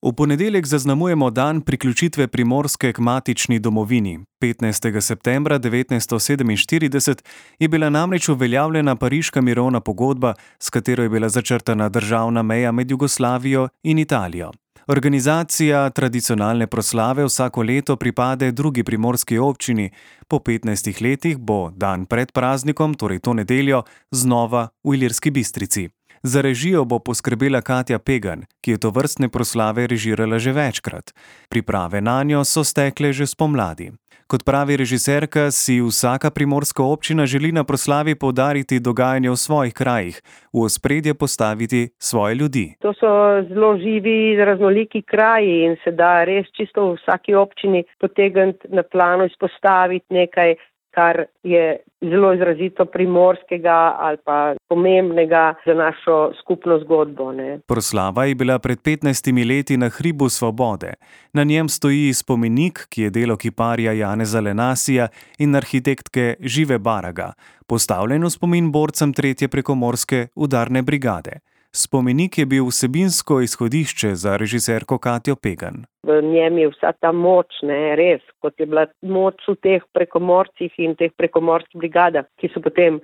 V ponedeljek zaznamujemo dan priključitve Primorske k matični domovini. 15. septembra 1947 je bila namreč uveljavljena Pariška mirovna pogodba, s katero je bila začrtana državna meja med Jugoslavijo in Italijo. Organizacija tradicionalne proslave vsako leto pripade drugi primorski občini. Po 15 letih bo dan pred praznikom, torej to nedeljo, znova v Ilirski Bistrici. Za režijo bo poskrbela Katja Pegan, ki je tovrstne proslave režirala že večkrat. Priprave nanjo so stekle že spomladi. Kot pravi režiserka, si vsaka primorska občina želi na proslavi poudariti dogajanje v svojih krajih, v ospredje postaviti svoje ljudi. To so zelo živi, raznoliki kraji in se da res čisto v vsaki občini potegniti na plano, izpostaviti nekaj, kar je zelo izrazito primorskega ali pa pomembnega za našo skupno zgodbo. Proslava je bila pred 15 leti na Hribu Svobode. Na njem stoji spomenik, ki je delo kiparja Janeza Lenasija in arhitektke Žive Baraga, postavljen v spomin borcem 3. prekomorske udarne brigade. Spomenik je bil vsebinsko izhodišče za režiserko Katjo Pegan. V njem je vsa ta moč, res, kot je bila moč v teh prekomorcih in teh prekomorskih brigadah, ki so potem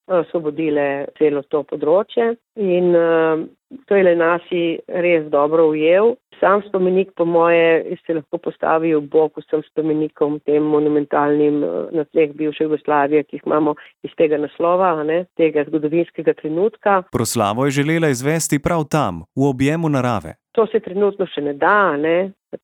osvobodile celo to področje. In to je Lenasi res dobro ujel. Sam spomenik, po moje, se lahko postavi v bok vsem spomenikom, tem monumentalnim na tleh bivše Jugoslavije, ki jih imamo iz tega naslova, tega zgodovinskega trenutka. Proslavo je želela izvesti prav tam, v objemu narave. To se trenutno še ne da,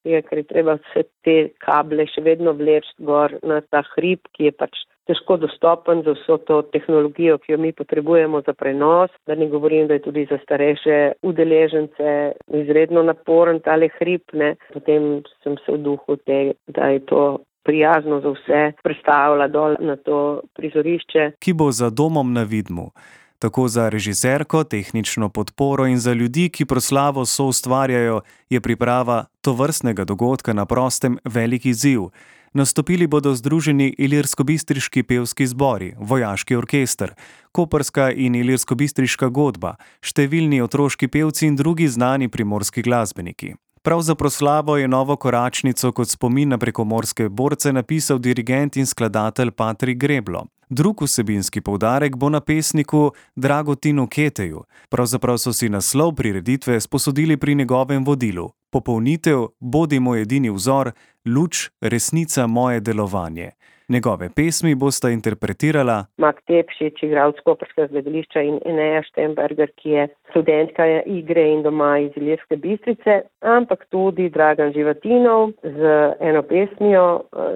ker je treba vse te kable še vedno vleči gor na ta hrib, ki je pač težko dostopen za vso to tehnologijo, ki jo mi potrebujemo za prenos. Da ne govorim, da je tudi za starejše udeležence izredno naporen tale hrib. Potem sem se v duhu tega, da je to prijazno za vse, prestavila dol na to prizorišče. Ki bo za domom na Vidmu. Tako za režiserko, tehnično podporo in za ljudi, ki proslavo soustvarjajo, je priprava tovrstnega dogodka na prostem velik izziv. Nastopili bodo združeni Ilirskobistriški pevski zbori, vojaški orkester, koprska in ilirskobistriška godba, številni otroški pevci in drugi znani primorski glasbeniki. Prav za proslavo je novo koračnico kot spomin na prekomorske borce napisal dirigent in skladatelj Patrik Greblo. Drug vsebinski poudarek bo na pesniku Dragotinu Keteju. Pravzaprav so si naslov prireditve sposodili pri njegovem vodilu. Popolnitev, bodi moj edini vzor, luč, resnica moje delovanje. Njegove pesmi bosta interpretirala Mak Tepšič, igralec koprskega gledališča, in Eneja Štemberger, ki je študentka igre in doma iz Ilirske Bistrice, ampak tudi Dragan Živatinov z eno pesmijo,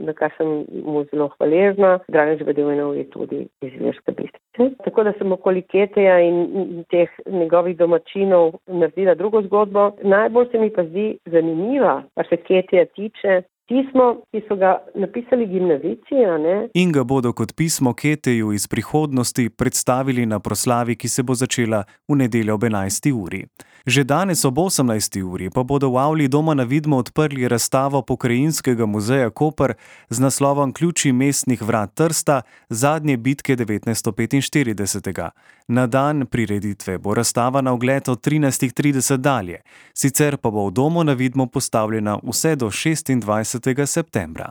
na kar sem mu zelo hvaležna. Dragan Živatinov je tudi iz Ilirske Bistrice. Tako da sem okoli Keteja in teh njegovih domačinov naredila drugo zgodbo. Najbolj se mi pa zdi zanimiva, kar se Keteja tiče, pismo, ki so ga napisali gimnazijci, in ga bodo kot pismo Keteju iz prihodnosti predstavili na proslavi, ki se bo začela v nedeljo ob 11. uri. Že danes ob 18. uri pa bodo v avli doma na Vidmu odprli razstavo Pokrajinskega muzeja Koper z naslovom Ključi mestnih vrat Trsta, zadnje bitke 1945. Na dan prireditve bo razstava na ogled od 13.30 dalje, sicer pa bo v domu na Vidmu postavljena vse do 26. septembra.